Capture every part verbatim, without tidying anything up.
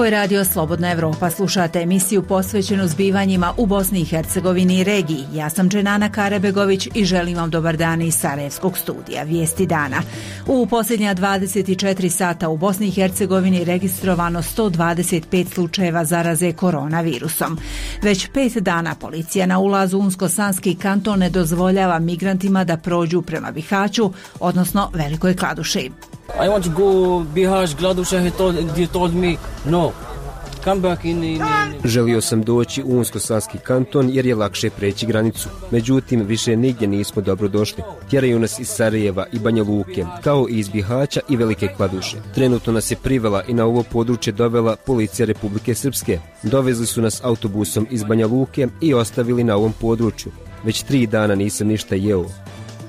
Ovo je radio Slobodna Evropa. Slušate emisiju posvećenu zbivanjima u Bosni i Hercegovini i regiji. Ja sam Dženana Karabegović i želim vam dobar dan iz Sarajevskog studija. Vijesti dana. U posljednja dvadeset četiri sata u Bosni i Hercegovini registrovano sto dvadeset pet slučajeva zaraze koronavirusom. Već pet dana policija na ulazu u Unsko-Sanski kanton ne dozvoljava migrantima da prođu prema Bihaću, odnosno Velikoj Kladuši. I want to go Bihać, Kladuša, he told, they told me no. Come back in, in, in. Želio sam doći u Unsko-Sanski kanton jer je lakše preći granicu. Međutim, više nigdje nismo dobro došli. Tjeraju nas iz Sarajeva i Banja Luke, kao i iz Bihaća i Velike Kladuše. Trenutno nas je privela i na ovo područje dovela policija Republike Srpske. Dovezli su nas autobusom iz Banja Luke i ostavili na ovom području. Već tri dana nisam ništa jeo.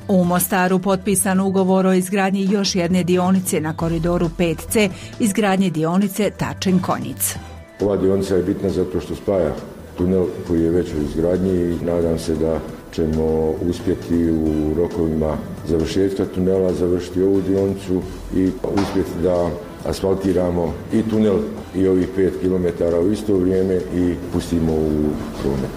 U Mostaru potpisan ugovor o izgradnji još jedne dionice na koridoru pet ce, izgradnje dionice Tačin-Konjic. Ova dionica je bitna zato što spaja tunel koji je već u izgradnji i nadam se da ćemo uspjeti u rokovima završetka tunela završiti ovu dionicu i uspjeti da asfaltiramo i tunel i ovih pet kilometara u isto vrijeme i pustimo u promet.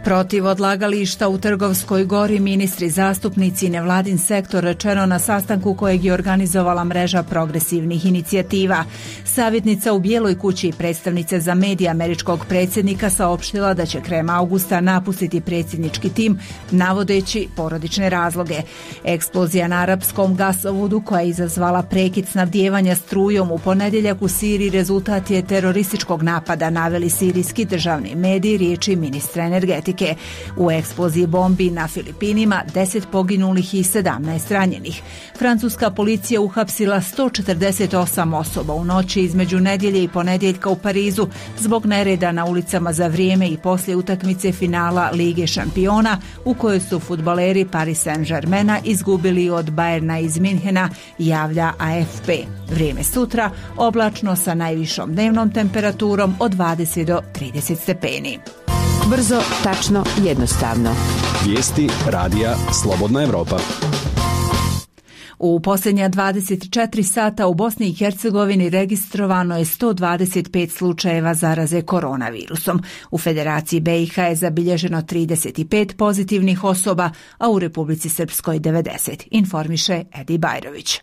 Protiv odlagališta u Trgovskoj gori ministri, zastupnici i nevladin sektor rečeno na sastanku kojeg je organizovala mreža progresivnih inicijativa. Savjetnica u Bijeloj kući i predstavnica za medije američkog predsjednika saopštila da će krajem augusta napustiti predsjednički tim navodeći porodične razloge. Eksplozija na arapskom gasovodu koja je izazvala prekid snabdijevanja strujom u ponedjeljak u Siriji rezultat je terorističkog napada, naveli sirijski državni mediji riječi ministra energetike. U eksploziji bombi na Filipinima deset poginulih i sedamnaest ranjenih. Francuska policija uhapsila sto četrdeset osam osoba u noći između nedjelje i ponedjeljka u Parizu zbog nereda na ulicama za vrijeme i poslije utakmice finala Lige šampiona u kojoj su fudbaleri Paris Saint-Germaina izgubili od Bayerna iz Minhena, javlja A F P. Vrijeme sutra oblačno sa najvišom dnevnom temperaturom od dvadeset do trideset stepeni. Brzo, tačno, jednostavno. Vijesti radija Slobodna Evropa. U posljednja dvadeset četiri sata u Bosni i Hercegovini registrovano je sto dvadeset pet slučajeva zaraze koronavirusom. U Federaciji B i H je zabilježeno trideset pet pozitivnih osoba, a u Republici Srpskoj devedeset, informiše Edi Bajrović.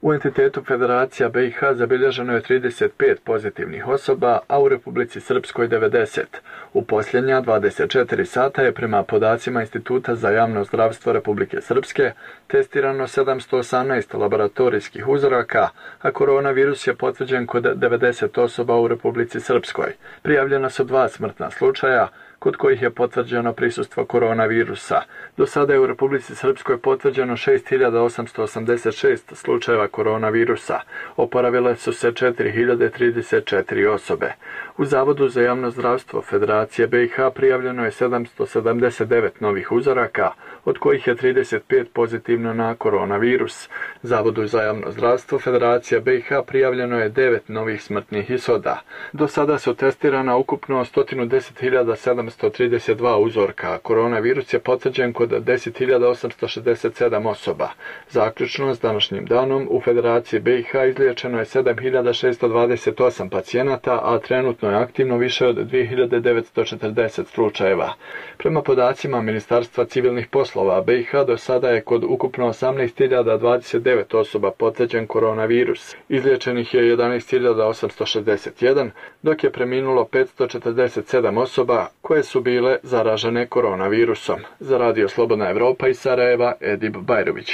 U entitetu Federacija B i H zabilježeno je trideset pet pozitivnih osoba, a u Republici Srpskoj devedeset. U posljednja dvadeset četiri sata je prema podacima Instituta za javno zdravstvo Republike Srpske testirano sedamsto osamnaest laboratorijskih uzoraka, a koronavirus je potvrđen kod devedeset osoba u Republici Srpskoj. Prijavljena su dva smrtna slučaja, kod kojih je potvrđeno prisustvo koronavirusa. Do sada je u Republici Srpskoj potvrđeno šest hiljada osamsto osamdeset šest slučajeva koronavirusa. Oporavile su se četiri hiljade trideset četiri osobe. U Zavodu za javno zdravstvo Federacije B i H prijavljeno je sedamsto sedamdeset devet novih uzoraka, od kojih je trideset pet pozitivno na koronavirus. Zavodu za javno zdravstvo Federacije B i H prijavljeno je devet novih smrtnih ishoda. Do sada su testirana ukupno sto deset hiljada sedamsto trideset dva uzorka. Koronavirus je potvrđen kod deset hiljada osamsto šezdeset sedam osoba. Zaključno s današnjim danom u Federaciji B i H izliječeno je sedam hiljada šesto dvadeset osam pacijenata, a trenutno je aktivno više od dvije hiljade devetsto četrdeset slučajeva. Prema podacima Ministarstva civilnih poslova B i H do sada je kod ukupno osamnaest hiljada dvadeset devet osoba potvrđen koronavirus. Izliječenih je jedanaest hiljada osamsto šezdeset jedan, dok je preminulo petsto četrdeset sedam osoba koje su bile zaražene koronavirusom. Za radio Slobodna Evropa iz Sarajeva, Edip Bajrović.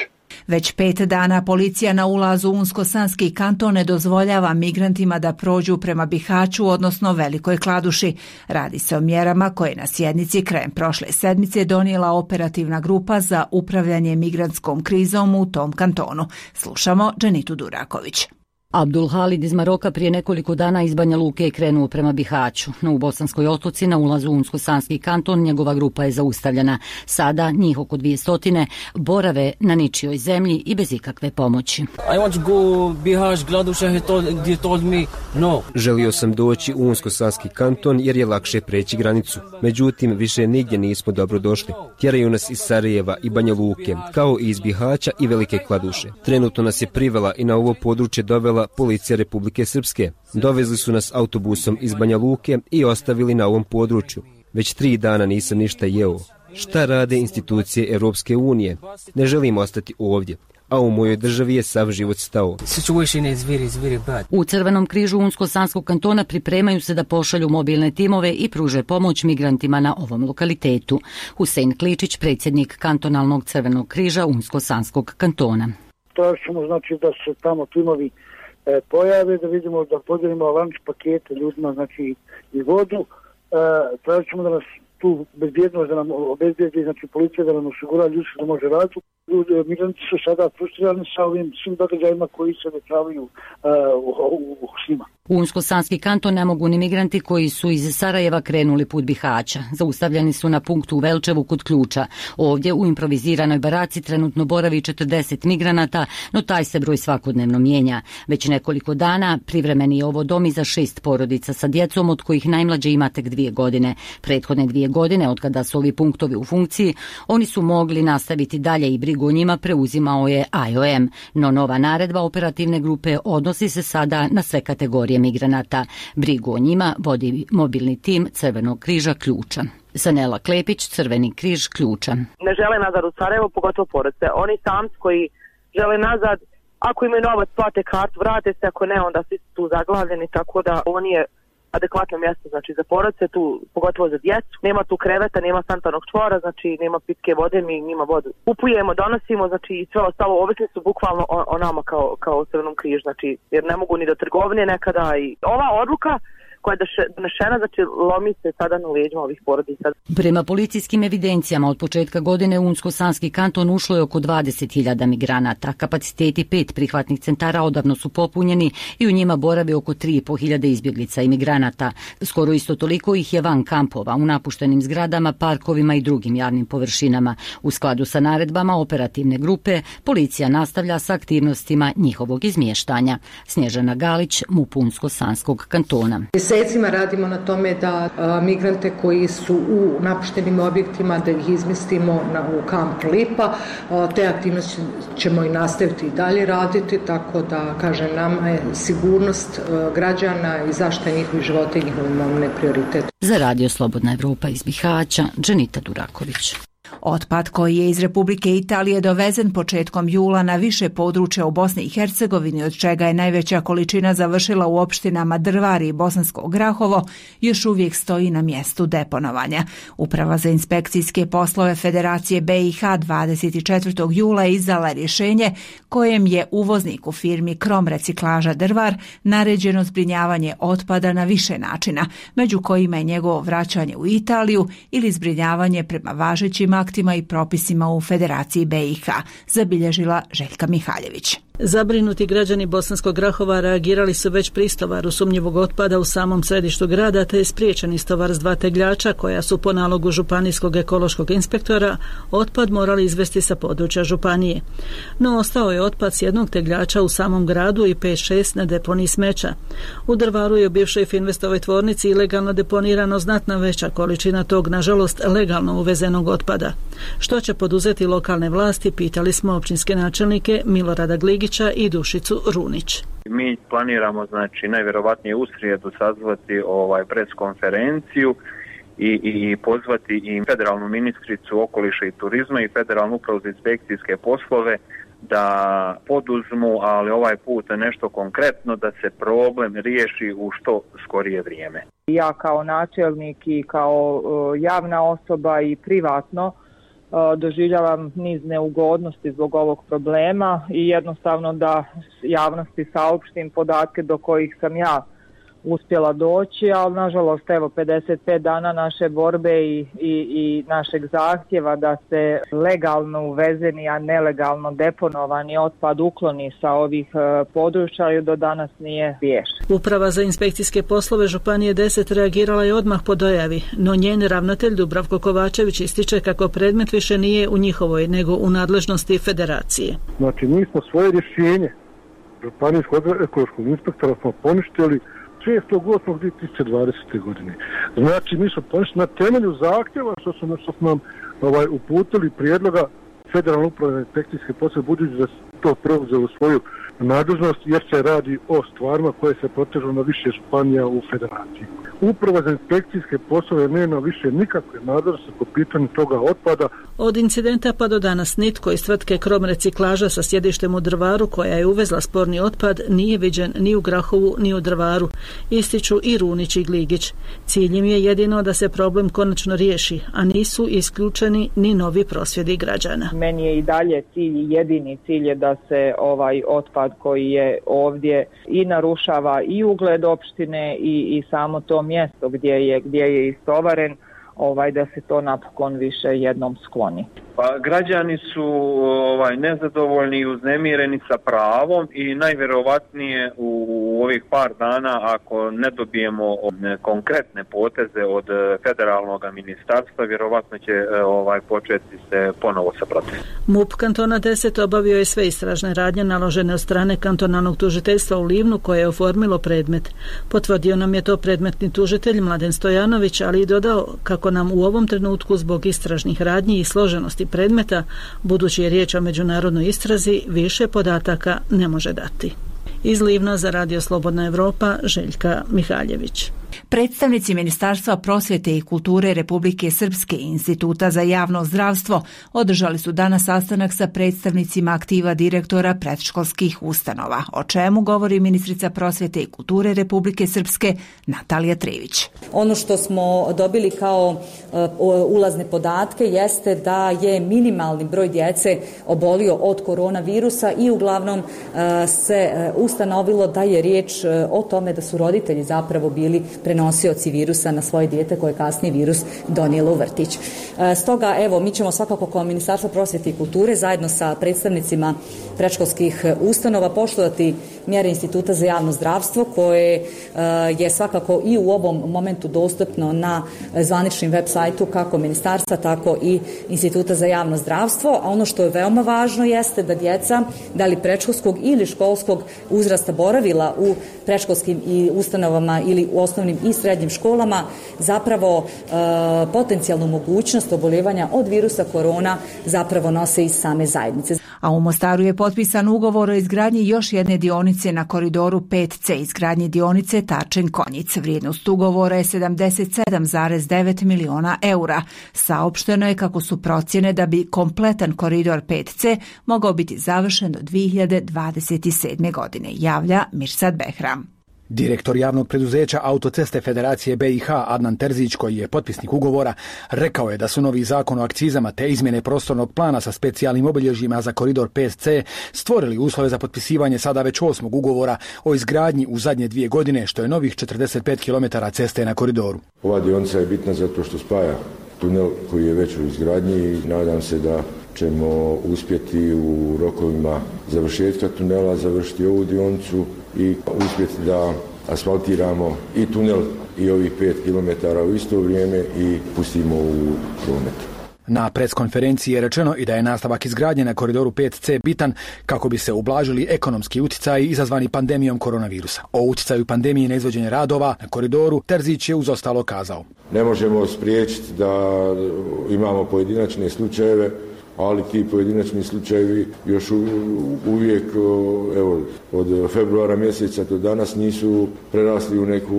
Već pet dana policija na ulazu u Unsko-Sanski kanton ne dozvoljava migrantima da prođu prema Bihaću, odnosno Velikoj Kladuši. Radi se o mjerama koje na sjednici krajem prošle sedmice donijela operativna grupa za upravljanje migrantskom krizom u tom kantonu. Slušamo Dženitu Duraković. Abdul Halid iz Maroka prije nekoliko dana iz Banja Luke je krenuo prema Bihaću. No u Bosanskoj Otoci na ulazu u Unsko-Sanski kanton njegova grupa je zaustavljena. Sada njih oko dvije stotine borave na ničijoj zemlji i bez ikakve pomoći. I want to go Bihać, Kladuša, he told, they told me no. Želio sam doći u Unsko-Sanski kanton jer je lakše preći granicu. Međutim, više nigdje nismo dobro došli. Tjeraju nas iz Sarajeva i Banja Luke, kao i iz Bihaća i Velike Kladuše. Trenutno nas je privela i na ovo područje dovela sačinila policija Republike Srpske. Dovezli su nas autobusom iz Banja Luke i ostavili na ovom području. Već tri dana nisam ništa jeo. Šta rade institucije Europske unije? Ne želim ostati ovdje, a u mojoj državi je sav život stao. U Crvenom križu Unsko-Sanskog kantona pripremaju se da pošalju mobilne timove i pruže pomoć migrantima na ovom lokalitetu. Husein Kličić, predsjednik kantonalnog Crvenog križa Unsko-Sanskog kantona. Tražimo znači da se tamo timovi e, pojave, da vidimo da podijelimo lanč pakete ljudima, znači i vodu. E, tražimo da nas tu bezbjednost, da nam obezbijedi, znači policija da nam osigura ljudski da može raditi. Migranti su sada frustrirani sa ovim svim događajima koji se dešavaju uh, u, u svima. U Unsko-Sanski kanton ne mogu ni migranti koji su iz Sarajeva krenuli put Bihaća. Zaustavljeni su na punktu u Velčevu kod Ključa. Ovdje u improviziranoj baraci trenutno boravi četrdeset migranata, no taj se broj svakodnevno mijenja. Već nekoliko dana privremeni je ovo dom i za šest porodica sa djecom, od kojih najmlađe ima tek dvije godine. Prethodne dvije godine, od kada su ovi punktovi u funkciji, oni su mogli nastaviti dalje i brigu o njima preuzimao je I O M, no nova naredba operativne grupe odnosi se sada na sve kategorije migranata. Brigu o njima vodi mobilni tim Crvenog križa Ključa. Sanela Klepić, Crveni križ Ključa. Ne žele nazad u Sarajevo, pogotovo porodice. Oni samci koji žele nazad, ako imaju novac, plate kartu, vrate se, ako ne, onda svi su tu zaglavljeni, tako da ovo nije adekvatno mjesto, znači za porodice, tu pogotovo za djecu. Nema tu kreveta, nema sanitarnog čvora, znači nema pitke vode, mi njima vodu kupujemo, donosimo, znači i sve ostalo, ovisni su bukvalno o, o nama kao, kao Crvenom križu, znači jer ne mogu ni do trgovine nekada i ova odluka koja je donešena, znači lomi se sada na leđima ovih porodica. Prema policijskim evidencijama od početka godine u Unsko-Sanski kanton ušlo je oko dvadeset hiljada migranata. Kapaciteti pet prihvatnih centara odavno su popunjeni i u njima boravi oko tri i po hiljade izbjeglica i migranata. Skoro isto toliko ih je van kampova, u napuštenim zgradama, parkovima i drugim javnim površinama. U skladu sa naredbama operativne grupe, policija nastavlja sa aktivnostima njihovog izmještanja. Snježana Galić, MUP Unsko-Sanskog kantona. Mjesecima radimo na tome da a, migrante koji su u napuštenim objektima da ih izmjestimo na, u kamp Lipa. A, te aktivnosti ćemo i nastaviti i dalje raditi, tako da, kažem, nama je sigurnost a, građana i zaštita njihovih života i njihovih imovine prioritet. Za Radio Slobodna Evropa iz Bihaća, Dženita Duraković. Otpad koji je iz Republike Italije dovezen početkom jula na više područja u Bosni i Hercegovini, od čega je najveća količina završila u opštinama Drvar i Bosansko Grahovo, još uvijek stoji na mjestu deponovanja. Uprava za inspekcijske poslove Federacije B i H dvadeset četvrtog jula izdala rješenje kojem je uvozniku firmi Krom reciklaža Drvar naređeno zbrinjavanje otpada na više načina, među kojima je njegovo vraćanje u Italiju ili zbrinjavanje prema važećim aktima i propisima u Federaciji B i H, zabilježila Željka Mihaljević. Zabrinuti građani Bosanskog Grahova reagirali su već pri istovaru sumnjivog otpada u samom središtu grada, te je spriječen istovar s dva tegljača koja su po nalogu županijskog ekološkog inspektora otpad morali izvesti sa područja županije. No ostao je otpad s jednog tegljača u samom gradu i pet šest na deponiji smeća. U Drvaru je u bivšoj Finstovoj tvornici ilegalno deponirano znatna veća količina tog, nažalost, legalno uvezenog otpada. Što će poduzeti lokalne vlasti, pitali smo općinske načelnike Milorada Gligića i Dušicu Runić. Mi planiramo, znači, najvjerovatnije u srijedu sazvati ovaj preskonferenciju i, i pozvati i federalnu ministricu okoliša i turizma i federalnu upravu za inspekcijske poslove da poduzmu, ali ovaj put nešto konkretno, da se problem riješi u što skorije vrijeme. Ja kao načelnik i kao javna osoba i privatno doživljavam niz neugodnosti zbog ovog problema i jednostavno da javnosti saopštim podatke do kojih sam ja uspjela doći, ali nažalost evo pedeset pet dana naše borbe i, i, i našeg zahtjeva da se legalno uvezeni, a nelegalno deponovani otpad ukloni sa ovih e, područja i do danas nije riješen. Uprava za inspekcijske poslove Županije deset reagirala je odmah po dojavi, no njen ravnatelj Dubravko Kovačević ističe kako predmet više nije u njihovoj, nego u nadležnosti federacije. Znači mi smo svoje rješenje Županijskog ekološkog inspektora smo poništili šestog osmog dvije tisuće dvadesete. godine. Znači, mi smo poništili na temelju zahtjeva što su, što su nam ovaj, uputili prijedloga Federalne uprave inspekcijske poslove, budući da to preuzeo u svoju nadležnost, jer se radi o stvarima koje se protežu na više županija u federaciji. Uprava za inspekcijske poslove nema više nikakve nadležnosti po pitanju toga otpada. Od incidenta pa do danas nitko iz tvrtke Krom reciklaža sa sjedištem u Drvaru, koja je uvezla sporni otpad, nije viđen ni u Grahovu ni u Drvaru, ističu i Runić i Gligić. Cilj im je jedino da se problem konačno riješi, a nisu isključeni ni novi prosvjedi građana. Meni je i dalje cilj, jedini cilj je da se ovaj otpad koji je ovdje i narušava i ugled opštine i, i samo to mjesto gdje je, gdje je istovaren, ovaj, da se to napokon više jednom skloni. Pa građani su ovaj, nezadovoljni i uznemireni sa pravom i najvjerovatnije u, u ovih par dana, ako ne dobijemo konkretne poteze od federalnog ministarstva, vjerovatno će ovaj, početi se ponovo sa protestom. M U P kantona deset obavio je sve istražne radnje naložene od strane kantonalnog tužiteljstva u Livnu, koje je oformilo predmet. Potvrdio nam je to predmetni tužitelj Mladen Stojanović, ali i dodao kako nam u ovom trenutku zbog istražnih radnji i složenosti predmeta, budući je riječ o međunarodnoj istrazi, više podataka ne može dati. Iz Livna za Radio Slobodna Evropa, Željka Mihaljević. Predstavnici Ministarstva prosvjete i kulture Republike Srpske i Instituta za javno zdravstvo održali su danas sastanak sa predstavnicima aktiva direktora predškolskih ustanova, o čemu govori ministrica prosvjete i kulture Republike Srpske Natalija Trivić. Ono što smo dobili kao uh, ulazne podatke jeste da je minimalni broj djece obolio od koronavirusa i uglavnom uh, se uh, ustanovilo da je riječ uh, o tome da su roditelji zapravo bili prenosioci virusa na svoje dijete koje je kasnije virus donijelo u vrtić. Stoga, evo, mi ćemo svakako kao Ministarstvo prosvjete i kulture zajedno sa predstavnicima predškolskih ustanova poštovati mjere Instituta za javno zdravstvo, koje je svakako i u ovom momentu dostupno na zvaničnim web sajtu kako Ministarstva, tako i Instituta za javno zdravstvo. A ono što je veoma važno jeste da djeca, da li predškolskog ili školskog uzrasta boravila u predškolskim i ustanovama ili u osnovnim i srednjim školama, zapravo e, potencijalnu mogućnost oboljevanja od virusa korona zapravo nose iz same zajednice. A u Mostaru je potpisan ugovor o izgradnji još jedne dionice na koridoru pet ce, izgradnji dionice Tačen-Konjic. Vrijednost ugovora je sedamdeset sedam zarez devet miliona eura. Saopšteno je kako su procjene da bi kompletan koridor pet ce mogao biti završen do dvije hiljade dvadeset sedme. godine, javlja Mirsad Behram. Direktor javnog preduzeća Autoceste Federacije be i ha Adnan Terzić, koji je potpisnik ugovora, rekao je da su novi zakon o akcizama te izmjene prostornog plana sa specijalnim obilježjima za koridor pet ce stvorili uslove za potpisivanje sada već osmog ugovora o izgradnji u zadnje dvije godine, što je novih četrdeset pet kilometara ceste na koridoru. Ova dionica je bitna zato što spaja tunel koji je već u izgradnji i nadam se da ćemo uspjeti u rokovima završetka tunela završiti ovu dionicu i uspjeti da asfaltiramo i tunel i ovih pet kilometara u isto vrijeme i pustimo u promet. Na preskonferenciji je rečeno i da je nastavak izgradnje na koridoru pet ce bitan kako bi se ublažili ekonomski utjecaji izazvani pandemijom koronavirusa. O utjecaju pandemije na izvođenje radova na koridoru Terzić je uz ostalo kazao. Ne možemo spriječiti da imamo pojedinačne slučajeve, ali ti pojedinačni slučajevi još uvijek, evo, od februara mjeseca do danas nisu prerasli u neku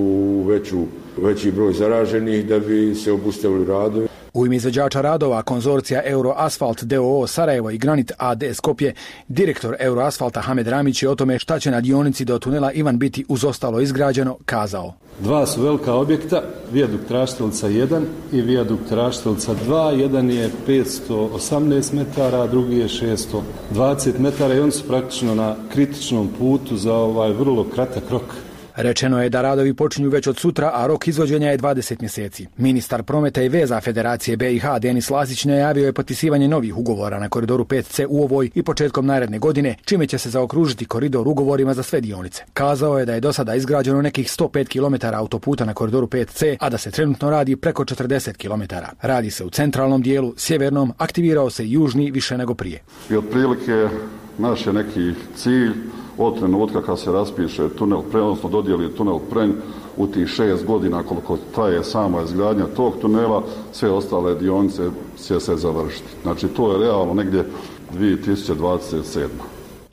veću, veći broj zaraženih da bi se obustavili radovi. U ime izvođača radova konzorcija Euroasfalt d o o Sarajevo i Granit a d Skopje, direktor Euroasfalta Hamed Ramić je o tome šta će na dionici do tunela Ivan biti uz ostalo izgrađeno kazao. Dva su velika objekta, vijadukt Raštelica jedan i vijadukt Raštelica dva. Jedan je petsto osamnaest metara, drugi je šesto dvadeset metara i oni su praktično na kritičnom putu za ovaj vrlo kratak rok. Rečeno je da radovi počinju već od sutra, a rok izvođenja je dvadeset mjeseci. Ministar prometa i veza Federacije be i ha Denis Lasić najavio je potpisivanje novih ugovora na koridoru pet ce u ovoj i početkom naredne godine, čime će se zaokružiti koridor ugovorima za sve dionice. Kazao je da je do sada izgrađeno nekih sto pet kilometara autoputa na koridoru pet ce, a da se trenutno radi preko četrdeset kilometara. Radi se u centralnom dijelu, sjevernom, aktivirao se južni više nego prije. I otprilike naš je neki cilj od trenutka kad se raspiše tunel Pren, odnosno dodijeli tunel Pren u tih šest godina koliko traje sama izgradnja tog tunela, sve ostale dionice će se završiti. Znači to je realno negdje dvije tisuće dvadeset sedme.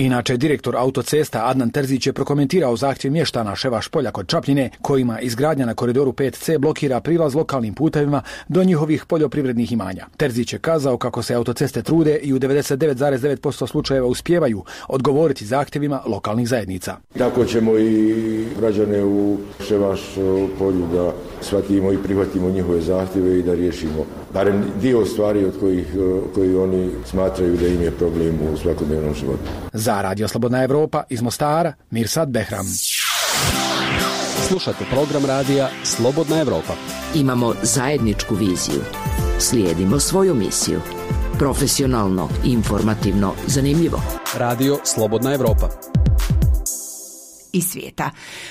Inače, direktor autocesta Adnan Terzić je prokomentirao zahtjev mještana Ševaš polja kod Čapljine, kojima izgradnja na koridoru pet ce blokira prilaz lokalnim putevima do njihovih poljoprivrednih imanja. Terzić je kazao kako se autoceste trude i u devedeset devet zarez devet posto slučajeva uspijevaju odgovoriti zahtjevima lokalnih zajednica. Tako ćemo i građane u Ševaš polju da shvatimo i prihvatimo njihove zahtjeve i da riješimo barem dio stvari od kojih koji oni smatraju da im je problem u svakodnevnom životu. Za Radio Slobodna Evropa iz Mostara, Mirsad Behram. Slušate program radija Slobodna Evropa. Imamo zajedničku viziju. Slijedimo svoju misiju. Profesionalno, informativno, zanimljivo. Radio Slobodna Evropa. I svijeta.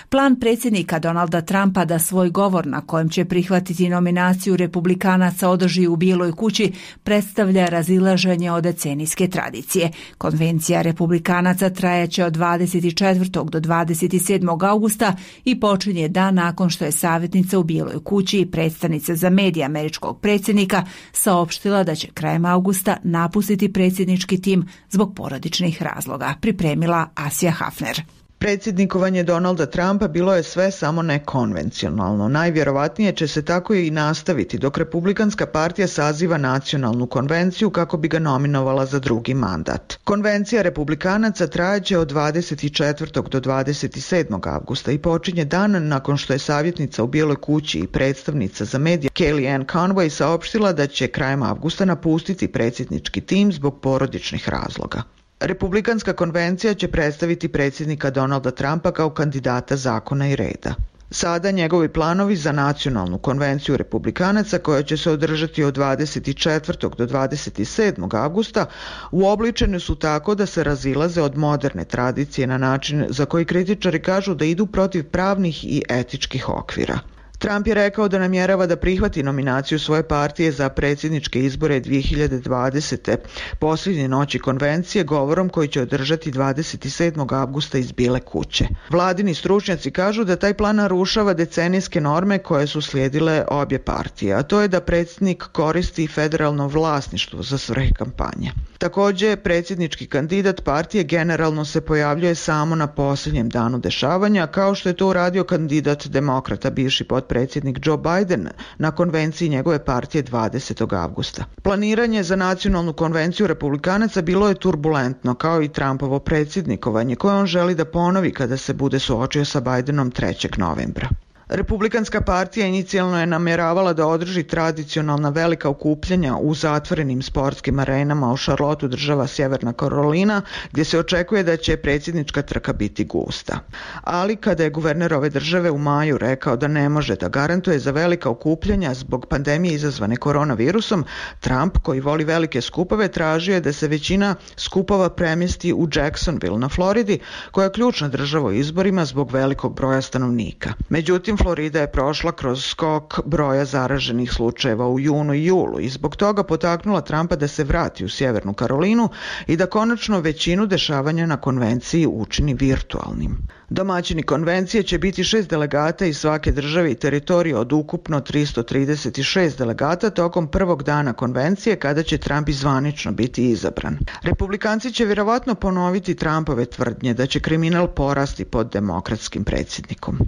Plan predsjednika Donalda Trumpa da svoj govor na kojem će prihvatiti nominaciju republikanaca održi u Bijeloj kući predstavlja razilaženje od decenijske tradicije. Konvencija republikanaca trajaće od dvadeset četvrtog do dvadeset sedmog augusta i počinje dan nakon što je savjetnica u Bijeloj kući i predstavnica za medije američkog predsjednika saopštila da će krajem augusta napustiti predsjednički tim zbog porodičnih razloga, pripremila Asija Hafner. Predsjednikovanje Donalda Trumpa bilo je sve samo nekonvencionalno. Najvjerovatnije će se tako i nastaviti dok Republikanska partija saziva nacionalnu konvenciju kako bi ga nominovala za drugi mandat. Konvencija republikanaca trajaće od dvadeset četvrtog do dvadeset sedmog avgusta i počinje dan nakon što je savjetnica u Bijeloj kući i predstavnica za medije Kellyanne Conway saopštila da će krajem avgusta napustiti predsjednički tim zbog porodičnih razloga. Republikanska konvencija će predstaviti predsjednika Donalda Trumpa kao kandidata zakona i reda. Sada njegovi planovi za nacionalnu konvenciju republikanaca koja će se održati od dvadeset četvrtog do dvadeset sedmog avgusta uobličeni su tako da se razilaze od moderne tradicije na način za koji kritičari kažu da idu protiv pravnih i etičkih okvira. Trump je rekao da namjerava da prihvati nominaciju svoje partije za predsjedničke izbore dvije hiljade dvadesete posljednje noći konvencije govorom koji će održati dvadeset sedmog avgusta iz Bijele kuće. Vladini stručnjaci kažu da taj plan narušava decenijske norme koje su slijedile obje partije, a to je da predsjednik koristi federalno vlasništvo za svrhe kampanje. Također, predsjednički kandidat partije generalno se pojavljuje samo na posljednjem danu dešavanja, kao što je to uradio kandidat demokrata, bivši potpredsjednik Joe Biden, na konvenciji njegove partije dvadesetog avgusta. Planiranje za nacionalnu konvenciju republikanaca bilo je turbulentno, kao i Trumpovo predsjednikovanje, koje on želi da ponovi kada se bude suočio sa Bidenom trećeg novembra. Republikanska partija inicijalno je namjeravala da održi tradicionalna velika okupljanja u zatvorenim sportskim arenama u Charlotteu, država Sjeverna Karolina, gdje se očekuje da će predsjednička trka biti gusta. Ali kada je guverner ove države u maju rekao da ne može da garantuje za velika okupljanja zbog pandemije izazvane koronavirusom, Trump, koji voli velike skupove, tražio je da se većina skupova premjesti u Jacksonville na Floridi, koja je ključna država u izborima zbog velikog broja stanovnika. Međutim, Florida je prošla kroz skok broja zaraženih slučajeva u junu i julu i zbog toga potaknula Trumpa da se vrati u Sjevernu Karolinu i da konačno većinu dešavanja na konvenciji učini virtualnim. Domaćini konvencije će biti šest delegata iz svake države i teritorije od ukupno tristo trideset šest delegata tokom prvog dana konvencije kada će Trump zvanično biti izabran. Republikanci će vjerovatno ponoviti Trumpove tvrdnje da će kriminal porasti pod demokratskim predsjednikom.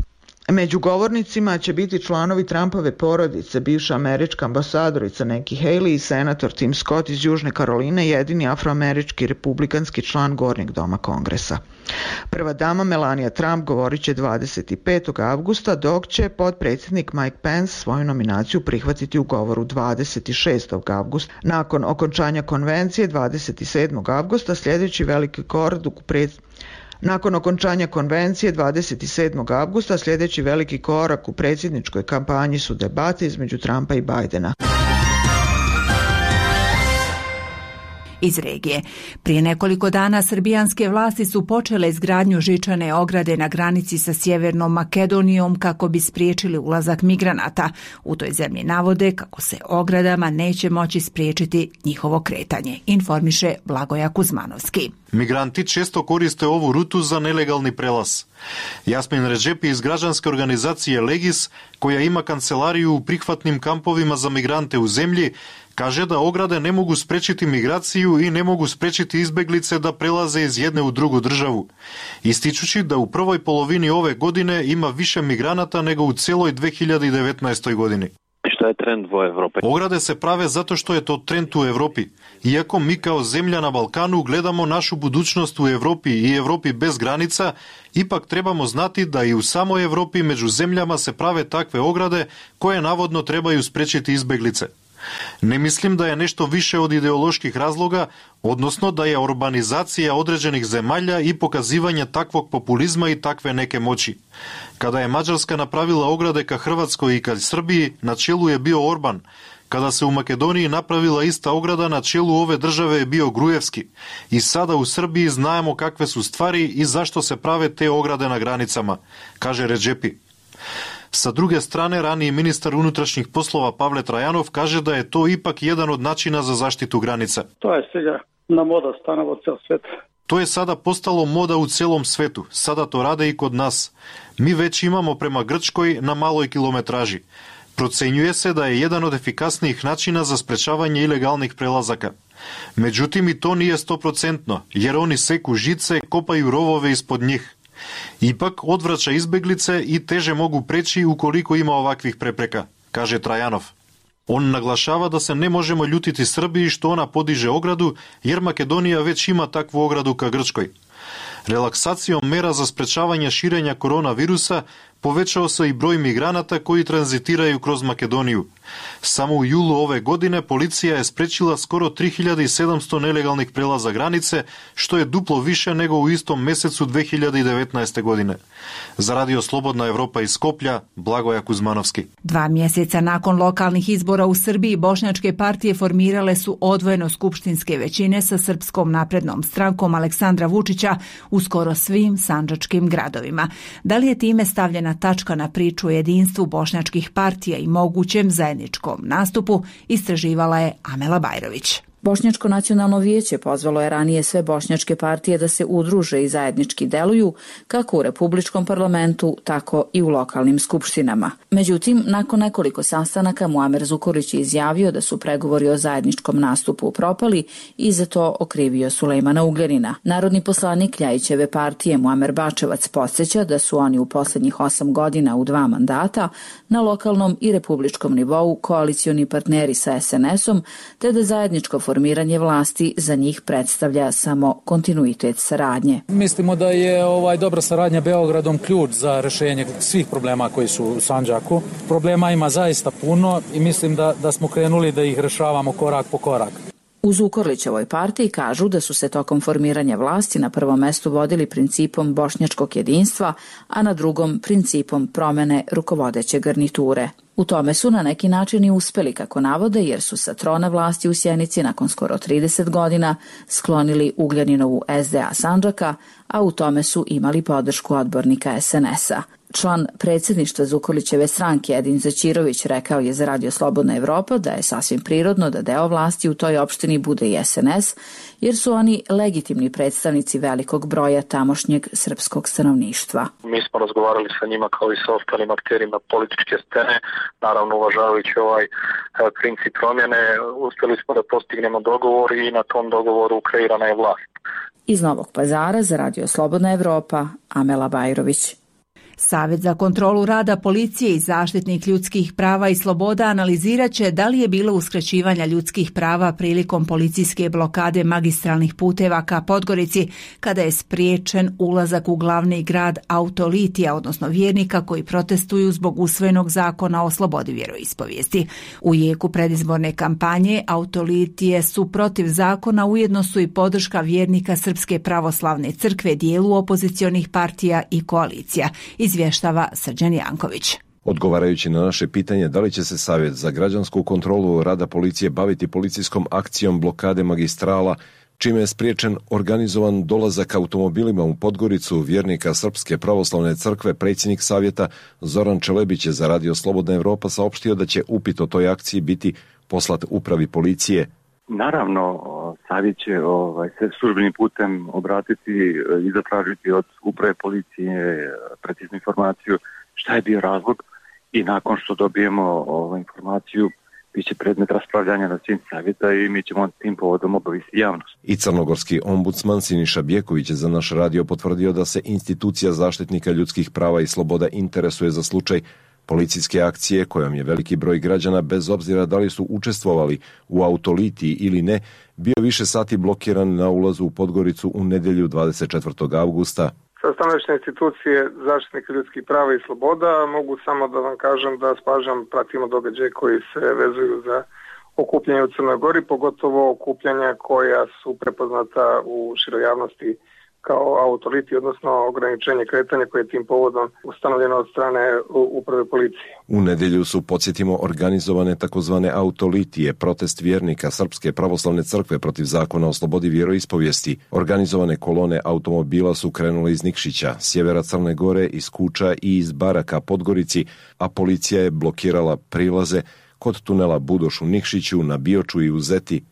Među govornicima će biti članovi Trumpove porodice, bivša američka ambasadorica Nikki Haley i senator Tim Scott iz Južne Karoline, jedini afroamerički republikanski član Gornjeg doma Kongresa. Prva dama Melania Trump govorit će dvadeset petog avgusta, dok će potpredsjednik Mike Pence svoju nominaciju prihvatiti u govoru dvadeset šestog avgusta. Nakon okončanja konvencije dvadeset sedmog avgusta sljedeći veliki korak u pred Nakon okončanja konvencije dvadeset sedmog avgusta sljedeći veliki korak u predsjedničkoj kampanji su debate između Trumpa i Bidena. Iz regije. Prije nekoliko dana srbijanske vlasti su počele izgradnju žičane ograde na granici sa Sjevernom Makedonijom kako bi spriječili ulazak migranata. U toj zemlji navode kako se ogradama neće moći spriječiti njihovo kretanje, informiše Blagoja Kuzmanovski. Migranti često koriste ovu rutu za nelegalni prelaz. Jasmin Redžepi iz građanske organizacije Legis, koja ima kancelariju u prihvatnim kampovima za migrante u zemlji, Kaže da ograde ne mogu sprečiti migraciju i ne mogu sprečiti izbeglice da prelaze iz jedne u drugu državu. Ističući da u prvoj polovini ove godine ima više migranata nego u cijeloj dve hiljade devetnaestoj godini. Što je trend u Evropi? Ograde se prave zato što je to trend u Evropi. Iako mi kao zemlja na Balkanu gledamo našu budućnost u Evropi i Evropi bez granica, ipak trebamo znati da i u samoj Evropi među zemljama se prave takve ograde koje navodno trebaju sprečiti izbeglice. Ne mislim da je nešto više od ideoloških razloga, odnosno da je urbanizacija određenih zemalja i pokazivanje takvog populizma i takve neke moći. Kada je Mađarska napravila ograde ka Hrvatskoj i ka Srbiji, na čelu je bio Orban. Kada se u Makedoniji napravila ista ograda, na čelu ove države je bio Grujevski. I sada u Srbiji znamo kakve su stvari i zašto se prave te ograde na granicama, kaže Redžepi. Sa druge strane, raniji ministar unutrašnjih poslova Pavle Trajanov kaže da je to ipak jedan od načina za zaštitu granica. To je сега na moda stanova ceo svet. To je sada postalo moda u celom svetu. Sada to rade i kod nas. Mi već imamo prema Grčkoj na maloj kilometraži. Procenjuje se da je jedan od efikasnijih načina za sprečavanje ilegalnih prelazaka. Međutim, i to nije stoprocentno, jer oni seku žice, kopaju rovove ispod njih. Ipak odvraća izbeglice i teže mogu preći ukoliko ima ovakvih prepreka, kaže Trajanov. On naglašava da se ne možemo ljutiti Srbiji što ona podiže ogradu, jer Makedonija već ima takvu ogradu ka Grčkoj. Relaksacijom mera za sprečavanje širenja koronavirusa povećao se i broj migranata koji tranzitiraju kroz Makedoniju. Samo u julu ove godine policija je sprečila skoro tri hiljade sedamsto nelegalnih prelaza granice, što je duplo više nego u istom mesecu dve hiljade devetnaeste. godine. Za Radio Slobodna Evropa iz Skoplja, Blagoja Kuzmanovski. Dva mjeseca nakon lokalnih izbora u Srbiji, bošnjačke partije formirale su odvojeno skupštinske većine sa Srpskom naprednom strankom Aleksandra Vučića u skoro svim sandžačkim gradovima. Da li je time stavljena tačka na priču o jedinstvu bošnjačkih partija i mogućem zajedničkom nastupu, istraživala je Amela Bajrović. Bošnjačko nacionalno vijeće pozvalo je ranije sve bošnjačke partije da se udruže i zajednički deluju kako u Republičkom parlamentu, tako i u lokalnim skupštinama. Međutim, nakon nekoliko sastanaka Muamer Zukorlić je izjavio da su pregovori o zajedničkom nastupu propali i za to okrivio Sulejmana Ugljanina. Narodni poslanik Ljajićeve partije Muamer Bačevac podsjeća da su oni u posljednjih osam godina u dva mandata na lokalnom i republičkom nivou koalicioni partneri sa es en esom, te da zajedničko formiranje vlasti za njih predstavlja samo kontinuitet saradnje. Mislimo da je ovaj dobra saradnja Beogradom ključ za rješenje svih problema koji su u Sandžaku. Problema ima zaista puno i mislim da, da smo krenuli da ih rješavamo korak po korak. U Zukorlićevoj partiji kažu da su se tokom formiranja vlasti na prvom mestu vodili principom bošnjačkog jedinstva, a na drugom principom promene rukovodeće garniture. U tome su na neki način i uspeli, kako navode, jer su sa trona vlasti u Sjenici nakon skoro trideset godina sklonili Ugljaninovu es de a Sandžaka, a u tome su imali podršku odbornika es en esa. Član predsjedništva Zukorlićeve stranke Edin Zaćirović rekao je za Radio Slobodna Evropa da je sasvim prirodno da deo vlasti u toj opštini bude i es en es, jer su oni legitimni predstavnici velikog broja tamošnjeg srpskog stanovništva. Mi smo razgovarali sa njima kao i sa ostalim akterima političke scene, naravno uvažavajući ovaj princip promjene, uspjeli smo da postignemo dogovor i na tom dogovoru kreirana je vlast. Iz Novog Pazara za Radio Slobodna Evropa, Amela Bajrović. Savjet za kontrolu rada policije i zaštitnik ljudskih prava i sloboda analizirat će da li je bilo uskraćivanja ljudskih prava prilikom policijske blokade magistralnih puteva ka Podgorici, kada je spriječen ulazak u glavni grad autolitija, odnosno vjernika koji protestuju zbog usvojenog zakona o slobodi vjeroispovijesti. U jeku predizborne kampanje autolitije su protiv zakona, ujedno su i podrška vjernika Srpske pravoslavne crkve dijelu opozicionih partija i koalicija, izvještava Srđan Janković. Odgovarajući na naše pitanje da li će se Savjet za građansku kontrolu rada policije baviti policijskom akcijom blokade magistrala, čime je spriječen organizovan dolazak automobilima u Podgoricu vjernika Srpske pravoslavne crkve, predsjednik Savjeta Zoran Čelebić je za Radio Slobodna Evropa saopštio da će upit o toj akciji biti poslat upravi policije. Naravno, Savjet će ovaj, se službenim putem obratiti i zatražiti od uprave policije preciznu informaciju šta je bio razlog i nakon što dobijemo ovaj, informaciju biće predmet raspravljanja na svim savjeta i mi ćemo tim povodom obaviti javnost. I crnogorski ombudsman Siniša Bjeković je za naš radio potvrdio da se institucija zaštitnika ljudskih prava i sloboda interesuje za slučaj policijske akcije kojom je veliki broj građana, bez obzira da li su učestvovali u autolitiji ili ne, bio više sati blokiran na ulazu u Podgoricu u nedjelju dvadeset četvrtog avgusta. Sa stanovišta institucije zaštitnika ljudskih prava i sloboda mogu samo da vam kažem da s pažnjom pratimo događaje koji se vezuju za okupljanje u Crnoj Gori, pogotovo okupljanja koja su prepoznata u široj javnosti kao autoliti, odnosno ograničenje kretanja koje je tim povodom ustanovljeno od strane uprave policije. U nedjelju su, podsjetimo, organizovane takozvane autolitije, protest vjernika Srpske pravoslavne crkve protiv zakona o slobodi vjeroispovijesti. Organizovane kolone automobila su krenule iz Nikšića, sjevera Crne Gore, iz Kuča i iz Baraka Podgorici, a policija je blokirala prilaze kod tunela Budoš u Nikšiću, na Bioču i u Zeti.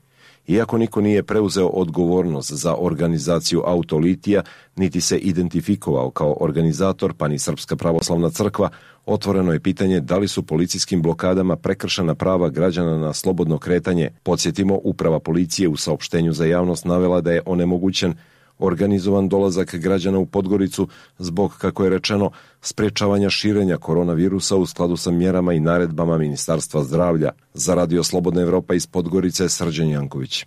Iako niko nije preuzeo odgovornost za organizaciju autolitija, niti se identifikovao kao organizator, pa ni Srpska pravoslavna crkva, otvoreno je pitanje da li su policijskim blokadama prekršena prava građana na slobodno kretanje. Podsjetimo, uprava policije u saopštenju za javnost navela da je onemogućen organizovan dolazak građana u Podgoricu zbog, kako je rečeno, sprečavanja širenja koronavirusa u skladu sa mjerama i naredbama Ministarstva zdravlja. Za Radio Slobodna Evropa iz Podgorice, Srđan Janković.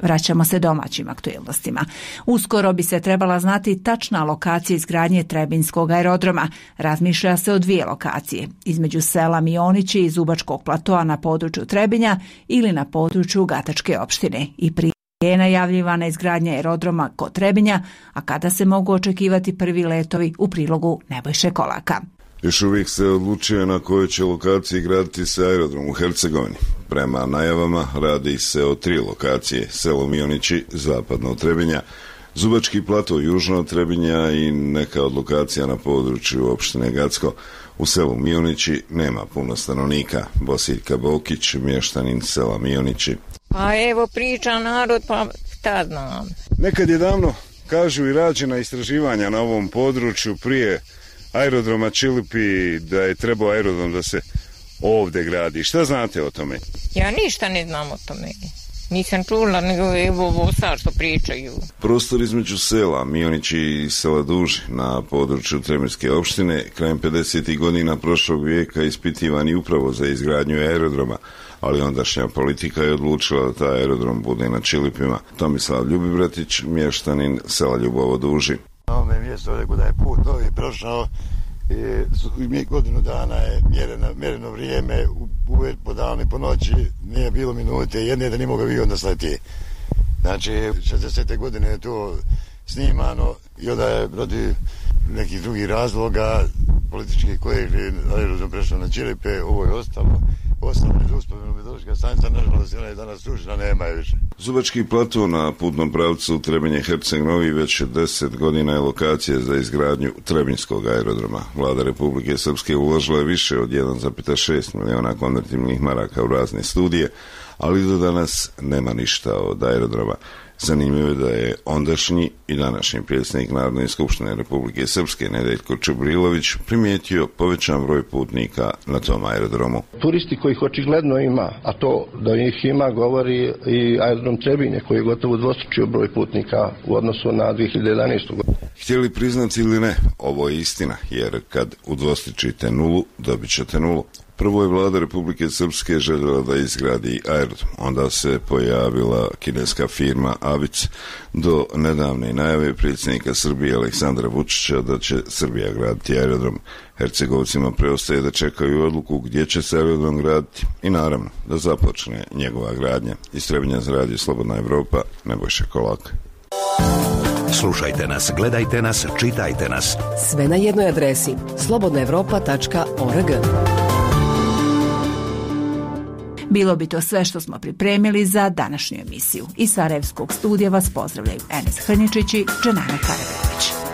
Vraćamo se domaćim aktuelnostima. Uskoro bi se trebala znati tačna lokacija izgradnje Trebinjskog aerodroma. Razmišlja se o dvije lokacije, između sela Mionići i Zubačkog platoa na području Trebinja ili na području Gatačke opštine. I prije je najavljivana izgradnja aerodroma kod Trebinja, a kada se mogu očekivati prvi letovi, u prilogu Nebojše Kolaka. Još uvijek se odlučuje na kojoj će lokaciji graditi se aerodrom u Hercegovini. Prema najavama radi se o tri lokacije: selo Mionići, zapadno od Trebinja, Zubački plato južno od Trebinja i neka od lokacija na području opštine Gacko. U selu Mionići nema puno stanovnika. Bosiljka Bokić, mještanin sela Mionići. Pa evo priča narod, pa šta znam. Nekad je davno, kažu, i rađena istraživanja na ovom području prije aerodroma Čilipi, da je trebao aerodrom da se ovdje gradi. Šta znate o tome? Ja ništa ne znam o tome. Nisam čula, nego evo ovo sad što pričaju. Prostor između sela Mionići i sela Duž na području Trebinjske opštine krajem pedesetih godina prošlog vijeka ispitivan i upravo za izgradnju aerodroma, ali ondašnja politika je odlučila da taj aerodrom bude na Čilipima. Tomislav Ljubibratić, mještanin sela Ljubovo Duži. Na ovome mjestu ovdje kuda je put novi prošao, i godinu dana je mjereno, mjereno vrijeme, uvijek po danu i po noći, nije bilo minute jedne da nije mogao vi onda sleti. Znači, šezdesete godine je to snimano i onda je protiv nekih drugih razloga političkih koji je aerodrom prešao na Čilipe, ovo je ostalo. Ostalo je uspomenu meteorološka stanica, nažalost, ona je danas stručna, nema je više. Zubački plato na putnom pravcu Trebinje Herceg Novi već deset godina je lokacija za izgradnju Trebinjskog aerodroma. Vlada Republike Srpske uložila je više od jedan zarez šest miliona konvertibilnih maraka u razne studije, ali do danas nema ništa od aerodroma. Zanimljivo je da je ondašnji i današnji predsjednik Narodne skupštine Republike Srpske Nedeljko Čubrilović primijetio povećan broj putnika na tom aerodromu. Turisti kojih očigledno ima, a to da ih ima govori i aerodrom Trebinje koji je gotovo dvostručio broj putnika u odnosu na dvije hiljade jedanaestu. godinu. Htjeli priznati ili ne, ovo je istina, jer kad udvostručite nulu, dobit ćete nulu. Prvo je vlada Republike Srpske željela da izgradi aerodrom, onda se pojavila kineska firma Avic, do nedavne najave predsjednika Srbije Aleksandra Vučića da će Srbija graditi aerodrom. Hercegovcima preostaje da čekaju odluku gdje će se aerodrom graditi i naravno da započne njegova gradnja. Iz Trebinja za Radio Slobodna Evropa, Nebojša Kolak. Slušajte nas, gledajte nas, čitajte nas. Sve na jednoj adresi slobodna evropa tačka org. Bilo bi to sve što smo pripremili za današnju emisiju. Iz Sarajevskog studija vas pozdravljaju Enes Hrničić i Dženana Karabegović.